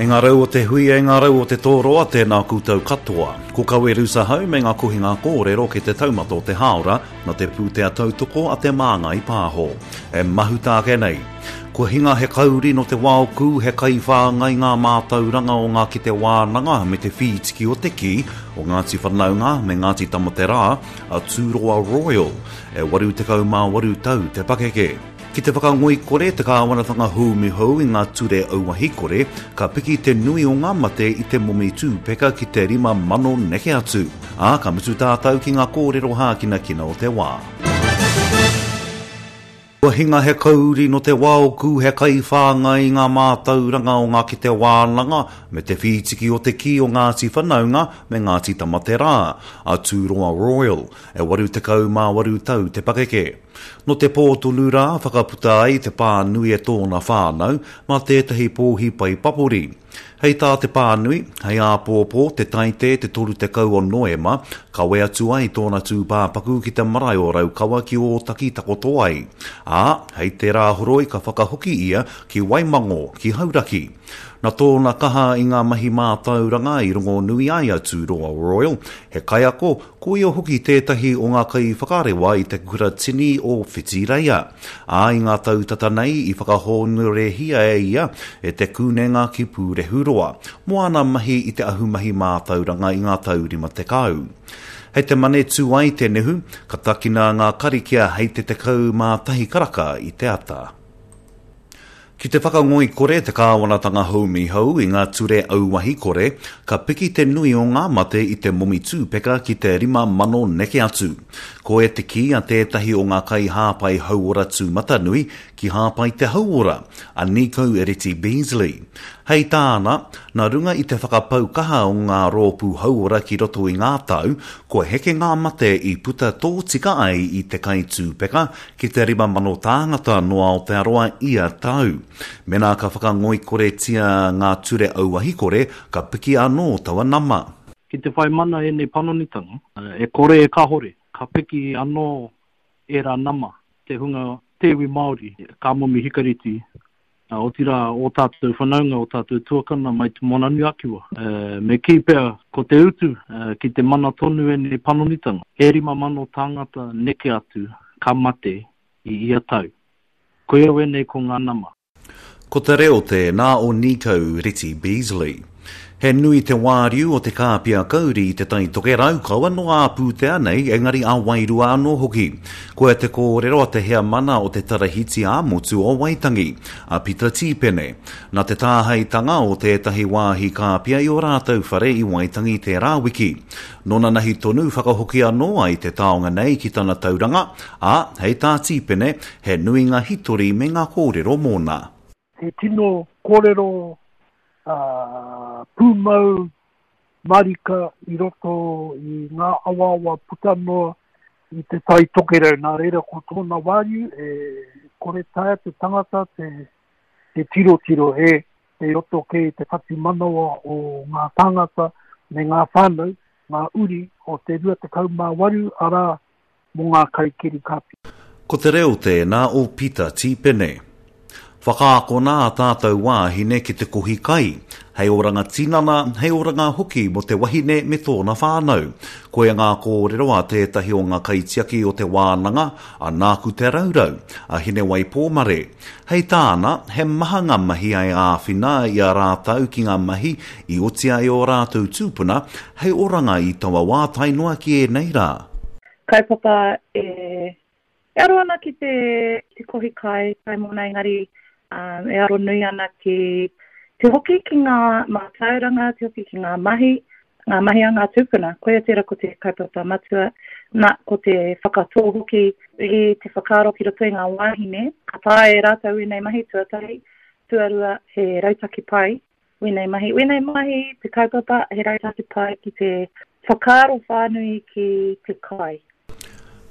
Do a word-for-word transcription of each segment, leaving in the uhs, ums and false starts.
E ngā rau o te hui, e ngā rau o te tōroa, tēnā koutou katoa. Ko Kawe Rusahau me ngā kohinga kōrero ki te taumata o te hāora, na te pūtea tautoko a te Māngai Pāho. E mahuta ake nei. Kua hinga he kauri no te waoku, he kaiwhāngai ngā mātauranga o ngā ki te wānanga me te whītiki o te kī, o Ngāti Whanaunga me Ngāti Tamaterā, a Tūroa Royal, e waru tekau mā waru tau te pakeke. Ki te whakangoikore te kāwanatanga hūmi hou i ngā ture auahi kore, ka piki te nui o ngā mate i te momi tūpeka ki te rima mano neke atu. Ā, ka mutu tātou ki ngā kōrero hākinakina o te wā. Kua hinga he kauri no te waoku, he kaiwhāngai i ngā mātauranga o ngā ki te wānanga, me te whītiki o te kī o Ngāti Whanaunga me Ngāti Tamaterā, a Tūroa Royal, e waru tekau mā waru tau te pakeke. No te pō tonu rā, whakaputa ai te pānui e tōna whānau, mā tētahi pōhi pai papori. Hei tā te pānui, hei āpōpō te taite te toru tekau o Noema, kawe atu ai tōna tūpāpaku ki te marae o Raukawa ki Ōtaki takoto ai. Ā, hei te rāhoroi ka whakahoki ia ki Waimango, ki Hauraki. Na tōna kaha i ngā mahi mātauranga i rongonui ai a Tūroa Royal, he kaiako, ko ia hoki tētahi o ngā kaiwhakarewa i te kura tini o Whitireia. Ā, i ngā tau tata nei i whakahōnorehia e ia e te kūnenga ki Pūrehuroa, mō ana mahi i te ahumahi mātauranga i ngā tau rima tekau. Hei te mane tū ai te nehu, ka takina ngā karikia hei te tekau mā tahi karaka i te ata. Ki te whakangoikore te kāwanatanga haumi hou i ngā ture auahi kore, ka piki te nui o ngā mate i te momi tūpeka ki te rima mano neke atu. Ko e te kī a tētahi o ngā kaihāpai hauora tūmatanui ki hāpai te hauora, a Nico Reti Beasley. Hei tāna, nā runga i te whakapau kaha o ngā rōpū hauora ki roto i ngā tau, kua heke ngā mate i puta tōtika ai i te kai tūpeka ki te rima mano tāngata no Aotearoa ia tau. Mena ka whakangoikoretia ngā ture auahi kore, ka piki anō taua nama. Ki te whai mana ēnei panonitanga, e kore e kahore, ka piki anō ērā nama, te hunga te iwi Māori, ka momi hikareti, otirā o tātou whanaunga, o tātou tuakana mai te Moananui-a-Kiwa. Me kī pea, ko te utu ki te mana tonu ēnei panonitanga, e rima mano tāngata neke atu ka mate i ia tau. Koia wēnei ko ngā nama. Ko te reo tēnā o Nico Reti Beasley. He nui te wāriu o te kāpia kauri i te Tai Tokerau, kaua no ā pūtea nei, engari a wairua anō hoki. Koia te kōrero a te heamana o te Tarahiti ā-motu o Waitangi, a Pita Tīpene. Nā te tāhaitanga o tētahi wāhi kāpia i o rātou whare i Waitangi tērā wiki. Nōna nahi tonu whakahoki anō ai te taonga nei ki tana tauranga, ā, hei tā Tīpene, he nui ngā hitori me ngā kōrero mōna. He tino kōrero uh, pūmau marika i roto i ngā awaawa puta noa i te Tai Tokerau. Nā reira ko tōna wāriu e kore taea te tangata te, te tirotiro e, e roto kei te whatumanawa o ngā tāngata me ngā whānau, ngā uri o te rua tekau mā waru arā mō ngā kaikiri kāpia. Ko te reo tēnā o Pita Tīpene. Whakaakona a tātou wāhine ki te kohi kai, hei oranga tinana, hei oranga hoki mō te wahine me tōna whānau. Koia ngā kōrero a tētahi o ngā kaitiaki o te wānanga, a Nāku Te Raurau, a Hinewai Pōmare. Hei tāna, he maha ngā mahi ai āwhina i a rātou ki ngā mahi i oti ai o rātou tūpuna, hei oranga i taua wā tae noa ki ēnei rā. Kaupapa e, e aro ana ki te, te kohi kai, kai mōna engari, um, e aro nui ana ki te hoki ki ngā mātauranga, te hoki ki ngā mahi, ngā mahi a ngā tūpuna. Koia tērā ko te kaupapa matua, nā, ko te whakatō hoki i te whakaaro ki roto i ngā wāhine. Ka taea e rātou ēnei mahi tuatahi, tuarua he rautaki pai, wēnei mahi. Wēnei mahi, te kaupapa, he rautaki pai ki te whakaaro whānui ki te kai.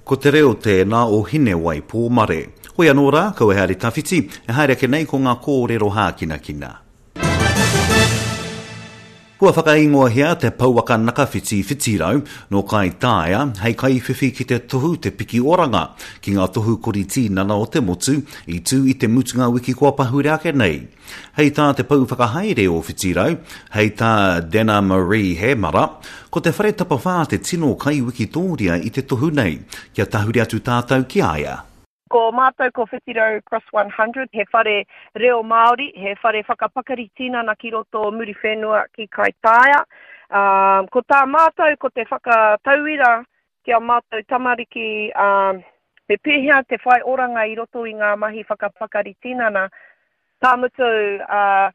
Ko te reo tēnā o Hinewai Pōmare. Hoi anō rā, kaua he haere tawhiti, e haere ake nei ko ngā kōrero hākinakina. Kua whakaingoahia te pouaka nakawhiti Whitirau nō Kaitaia hei kaiwhiwhi ki te tohu Te Piki Oranga ki ngā tohu kori tīnana o te motu i tū i te mutunga wiki kua pahure ake nei. Hei tā te pou whakahaere o Whitirau, hei tā Dana Marie Hemara, ko te whare tapawhā te tino kaiwikitōria i te tohu nei, kia tahuri atu tātou ki a ia. Ko mātou ko Whitirau Cross one hundred, he whare reo Māori, he whare whakapakari tinana ki roto o Muriwhenua ki Kaitaia. Um, ko tā mātou ko te whakatauira ki a mātou tamariki, um, me pēhea te whai oranga i roto i ngā mahi whakapakari tinana. Ka mutu, uh,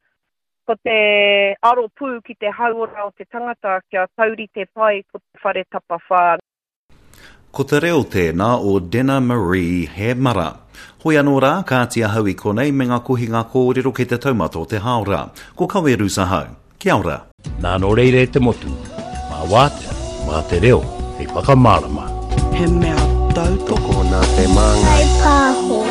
ko te aro pū ki te hauora o te tangata kia taurite pai ko te whare tapawhā. Ko te reo tēnā o Dena Marie Hemara. Hoi anō rā, kāti ahau i konei me ngā kohinga kōrero ki te taumata o te hāora. Ko Kawe Ahau. Kia ora. Nā nō reira e te motu, mā wātea, mā te reo, hei whakamārama. He mea tautoko nā te māngai. Pāho.